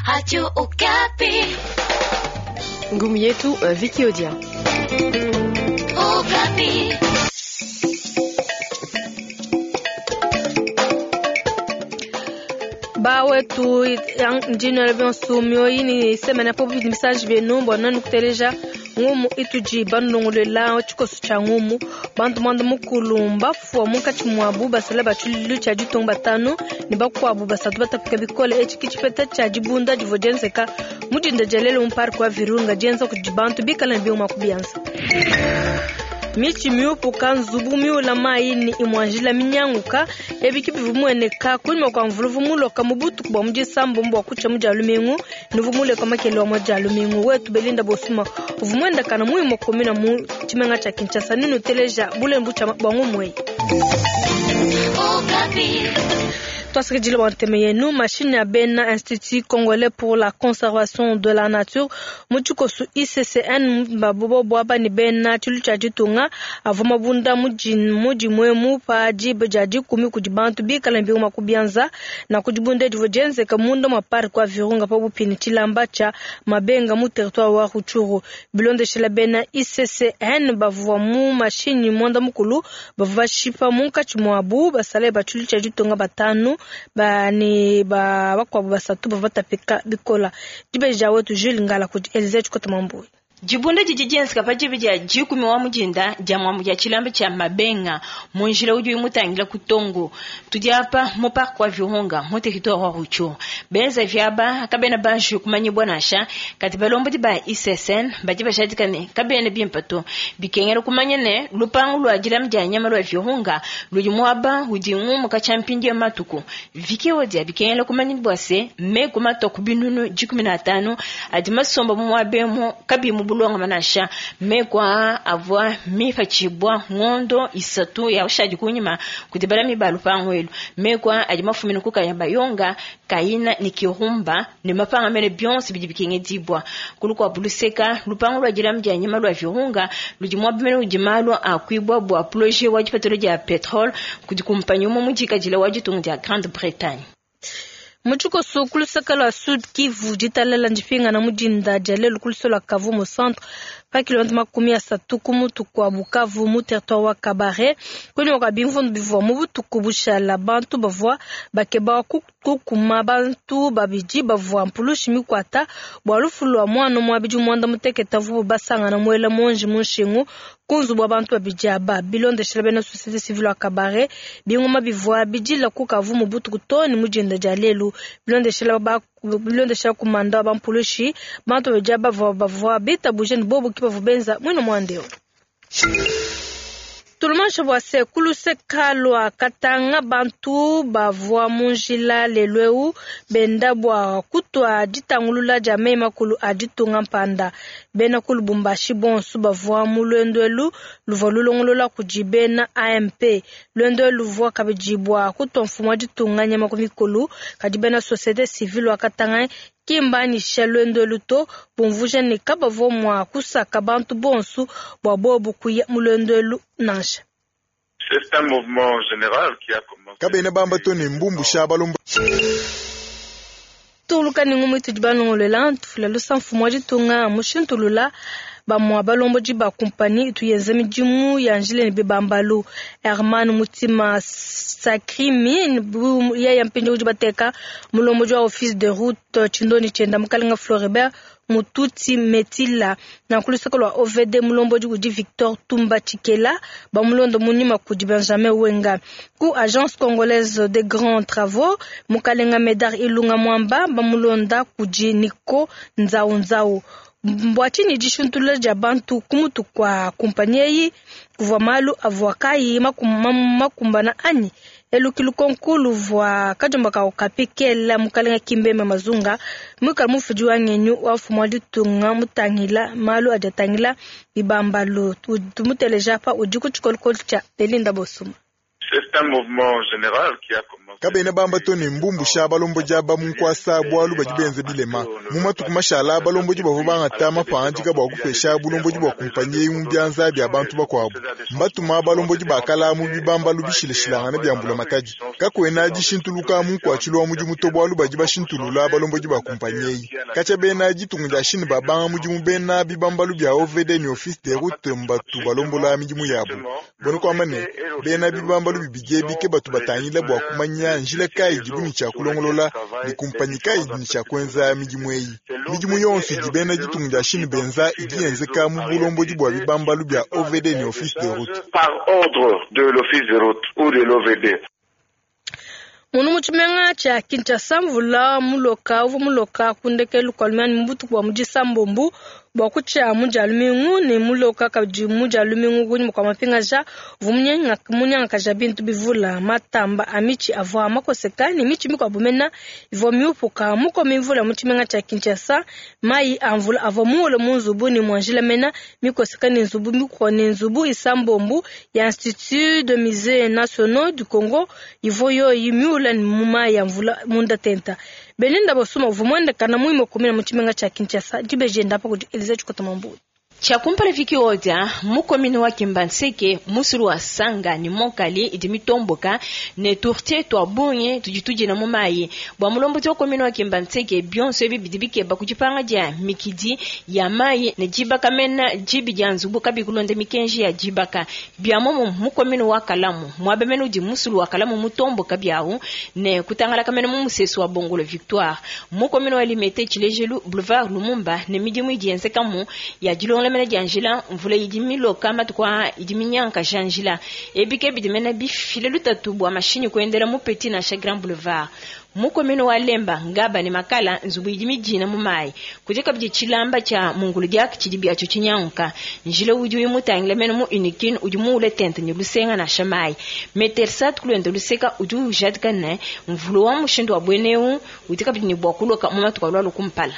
Radio Okapi. Ngumu yetu Vicky Odia. Okapi. Bawetu ndino bionso mioyi ni semena po message benu bona nukuteleja ngumu ituji bandongolela tshikoso tshia ngumu bantu mwanda mukulu mbafua munkatshi muabu basala ba tshiluilu tshia ditunga batanu ne bakuabu basatu batapika bikole. Etshi ke tshipeta tshia dibunda divua dienzeka mu dinda dia lelu mu parke wa Virunga dienza kudi bantu bikala ne biuma ku bianza. Mitshi miupuka, nzubu miula mayi ne imua njila minyanguka, ebi ke bivua bimueneka kunyima kua mvula uvua muloka mu butuku bua mu disambombo bua kutshia mu dia lumingu ne uvua muleka makele wa mu dia lumingu. Wetu Belinda Bosuma uvua muendakana mu imue komina mu tshimenga tshia Kinshasa ne nuteleja bulembu tshia bua ngumu eyi. Tuasakidila bua ntema yenu. Mashini a bena Institut Congolais pour la Conservation de la Nature mu tshikoso ICCN babobo ne bena tshilu tshia ditunga avua mabunda mu dimuemu pa diba dia 10 kudi bantu bikala ne biuma ku bianza na ku dibunda divua dienzeka munda mua parc wa Virunga pabuipi ne tshilamba tshia Mabenga mu territoire wa Rutshuru. Bilondeshela bena ICCN bavua mu mashinyi mwanda mukulu bavua bashipa munkatshi muabu basalayi ba tshilu tshia ditunga batanu ba ne ba bakuabu basatu bavua batapika bikola. Dibeji dia wetu Jules Ngala kudi Elise Tshikota Mambuyi. Dibunda didi dienzeka pa diba dia 10 wa mudinda dia muambu dia tshilamba tshia Mabenga mu njila udi mutangila ku Tongo. Tudi apa mu parc wa Virunga mu territoire wa Rutshuru. Benza viaba kabena banji kumanyibwa nansha kati balombodi ba ICCN badi bajadika ne kabena bimpe to. Bikengela kumanya ne lupangu lua dilama dia nyama lua Virunga ludi muaba udi ngumuka tshia mpindi ya matuku. Vicky Odia bikengela kumanya bua se meku matoku binunu 15 adi masomba mu muaba emu kabi mu bulonga manasha mekwa avua mipachibwa ngondo isatu ya ushadi kunyima kudibala mibalu pangwelu mekwa adi mafumina kukaya bayonga kaina ni kirumba ne mapanga mene bionse bidi bikenge dibwa kulukwa buluseka lupango lwa dilamu dia nyama lwa Virunga ludi mwa bimene udi malu akwibwa bwa projet wa dipatolo dia petrole kudi kumpanyi umwe mudikadile wa ditunga dia Grande-Bretagne. Mutshikoso kuluseka lua Sud Kivu ditalala ndipingana mu dinda dia lelu kuluso lua Kavu mu centre pa kilomètre 30 ku mutu kua Bukavu mu territoire wa Kabare. Kunyima kua bimvundu bivua mu butuku bushala bantu bavua bakeba kukuma bantu babidi bavua mpulushi mikwata bua lufu lua mwana muabidi mwanda muteketa vubu basangana muela monji mu nshingu ku nzubu wa bantu babidi aba. Bilondeshela bena société civile wa Kabare bingoma bivua bidila ku Kavu mu butuku to ne mu dinda dia lelu. Bilondeshela kumanda wa bampulushi bantu babidi aba bavua bitabuje ne bobu ki bavua benza mwino mwandeo. Tulumansha bua se kuluseka lua Katanga bantu bavua mu njila lelu eu benda bua kutua ditangulula dia meyi makulu a ditunga mpanda. Bena ku Lubumbashi bonso bavua mu lwendo elu luvua lulongolola kudi bena AMP. Lwendo elu luvua kabidi bua kutua mfumu wa ditunga nyama ku mikolo, kadi bena société civile wa Katanga ki mbanyisha lwendo elu to, bumvuja ne kabavua mua kusaka bantu bonso bua bobu kuya mu lwendo elu nansha. C'est un mouvement général qui a commencé. Kabena bamba to ne mbumbu sha balomba. Tuluka ni ngumu itudi balongolela ntufula lusa mfumu wa ditunga mushintulula bamua balombodi ba kumpani ituyenza midimu ya njila ne bibambalu. Herman Mutima Sakrimi yeye mpindi udi bateka mulombodi wa office de route Tshindoni Tshenda Mukalenga Floribert Mututi Metila na kulusaka lwa OVD mulombodi udi Victor Tumba Tshikela bamulondo munyima kudi Benjamin Wenga. Ku Agence Congolaise des Grands Travaux Mukalenga Medar Ilunga Mwamba bamulonda kudi Nico Nzau Nzau. Mbwa tshinyi dishintulula dia bantu ku mutu kwa kumpanyi eyi kuvua malu avua kayi makumbana anyi? Eluki lukonko luvua kajomba ka Okapi kela Mukalenga Kimbembe Mazunga mwikala mufudi wa ngenyu wa mfumu wa ditunga mutangila malu adi atangila bibambalu. Tumuteleja apa udi ku tshikolokolo tshia Belinda Bosuma. C'est un mouvement général qui a commencé. Kabena bamba to ne mbumbusha balombodi aba mu nkuasa bualu badi benza bilema. Mu matuku mashala, balombodi bavua bangata mapangadika bua kupesha bulombodi bua kumpanyi eyi mu bianza bia bantu bakuabu. Mbatuma balombodi ba kala mu bibambalu bishilashilangane bia mbulamatadi. Kakuena dishintuluka mu nkuatshilu wa mudimu to bualu badi bashintulula balombodi ba kumpanyi eyi. Katshia bena ditunga dia Chine babanga mudimu, bena bibambalu bia OVD ne Office des routes mbatu balombola midimu yabu. Buena kuamba ne, bena bibambalu bibidi ebi ke batu batangila bua kumanya njila kayi idibu ne tshia kulongolola ne kumpanyi kayi idi ne tshia kuenza midimu eyi. Midimu yonso idi bena ditunga dia Chine benza idi yenzeka mu bulombodi bua bibambalu bia OVD ne Office des routes. Par ordre de l'Office des routes ou de l'OVD. Munu mu tshimenga tshia Kinshasa, mvula muloka uvua muloka ku ndekelu kua lumianyi mu butuku bua mu disambombu bua kutshia mu dia lumingu ne muloka kabidi mu dia lumingu kunyima kua mapingaja uvua munyangakaja bintu bivula. Matamba a mitshi avua makoseka ne mitshi mikuabu mena ivua miupuka. Mukomi mvula mu tshimenga tshia Kinshasa, mayi a mvula avua muwule mu nzubu ne mua njila mena mikoseka ne nzubu mikuabu ne nzubu isambombu ya Institut de Musées Nationaux du Congo ivua yoyi miwule mu mayi a mvula munda tenta. Belinda Bosuma uvua muendekana muima kumina mu tshimenga tshia Kinshasa. Dibeji enda pa kudi Elisa Tshikota Mambu. Tshiakumpala Viki Odia, mukomini wa Kimbanseke, musulu wa Sanga ne Monkali idi mitomboka ne tourtier twa bungi tudi tudina mu mayi. Bua mulombodi wa komini wa Kimbanseke, bionso ebi bidi bikeba ku dipanga dia mikidi ya mayi ne dibaka mena dibi dia nzubu kabi kulonda mikenji ya dibaka. Bia momo mukomini wa Kalamu, muaba mena udi musulu wa Kalamu mutomboka biawu ne kutangalaka mena mu musesu wa Bongolo Victoire. Mukomini wa Limete Tshilejelu Boulevard Lumumba ne midimu idi yenzekamu ya dilonga mena dia njila mvula idi miloka matuku a idi minyanka ja njila ebike bidi mena bifile lutatu bua mashinyi kuendela mu Petit nansha Grand Boulevard. Mukomini wa Lemba ngaba ne makala nzubu idi midina mu mayi kudi kabidi tshilamba tshia mungulu diaka tshidi biatsho tshinyanguka njila udi uyimutangila mena mu Unikin udi muule tente ne lusenga nansha mayi metersat kulwenda luseka udi ujadika ne mvula wa mushindu wa bweneu udi kabidi ne bua kuloka mu matuku alua kumpala.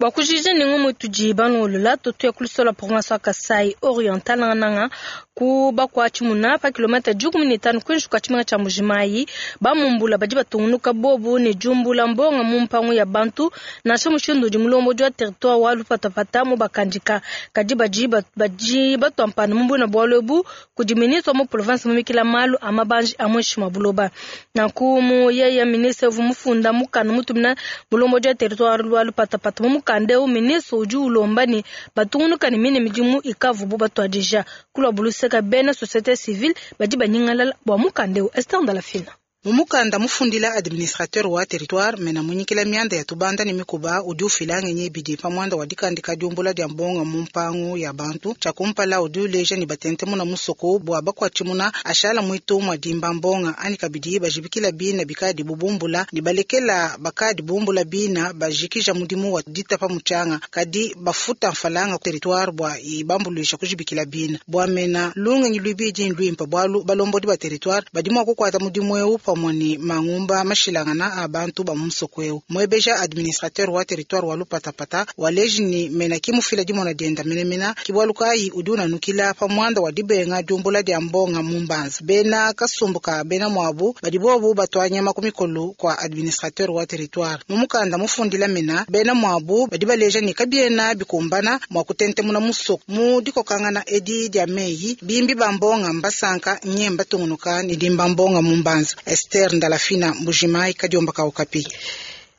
Bua kujija ne ngumu tudi banolola tutuya kulusola province wa Kasai Oriental nanga ku bakwa tshimuna pa kilomètre 15 kwinji kwa tshimenga tshia Mbujimayi bamumbula badi batungunuka bobu ne jumbula mbonga mu mpangu ya bantu nansha mushindu udi mulombodi wa territoire wa Lupatapata mu bakandika kadi badi batwampana mu mbuna bualu ebu kudi ministre wa mu province mumikila malu a mabanji a mwishi mwa buloba. Nanku mu yeye ministre uvua mufunda mukanda mutumina mulombodi wa territoire wa Lupatapata mu mukanda eu ministre udi ulomba ne batungunuka ne mine midimu ikavubu batwadija kulwa buluseka bena société civile badi banyingalala bua mukanda eu. Esther Ndalafina. Mumukanda mufundila administrateur wa territoire mena munyikila mianda ya tubanda ne mikuba udi ufila ngenyi bidi pa mwanda wa dikandika diumbula dia mbonga mu mpangu ya bantu tshiakumpala udi uleja ne batente muna musoko bua bakwatshimuna ashala mwitu mwa dimba mbonga ani kabidi bajibikila bina bikadi bubumbula ne balekela bakadi bumbula bina bajikija mudimu wa ditapa muchanga kadi bafuta mfalanga territoire bua ibambuluisha kujibikila bina bua mena lungenyi lwibidi ndwimpa bwalu balombodi ba territoire badi mwa kukwata mudimu eu pamwe mangumba mashilangana a bantu ba musoko eu mwebeja administrateur wa territoire wa Lupatapata waleji ni mena kimufila dimona dienda menemena kibwalukayi udi unanukila pa mwanda wa dibenga diumbula dia mbonga mu mbanza bena kasumbuka bena mwabu badi bobu batwanyama ku mikolo kwa administrateur wa territoire mumukanda mufundila mena bena mwabu badi baleja ni kabiena bikumbana mwa kutentemuna musoko mu dikokangana edi dia meyi bimbi ba mbonga mbasanka nyemba tungunuka ni dimba mbonga mu mbanza. Esther Ndalafina Mbujimayi Kadiomba ka Okapi.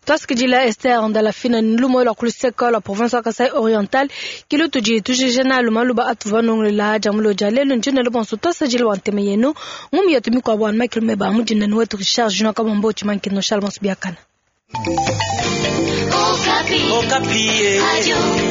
Twasikidila Esther Ndalafina nlumo la kuluseka la province wa Kasai Oriental kilo tudi tujijena lumaluba atuva nonglela jamulo jalelo njine lo bonso twasajila wa nteme yenu ngumi yetu mikwa bwana Michael Meba mujina ni wetu Richard Junior Kabombo chimankino Charles Biakana. Okapi. Okapi. Radio.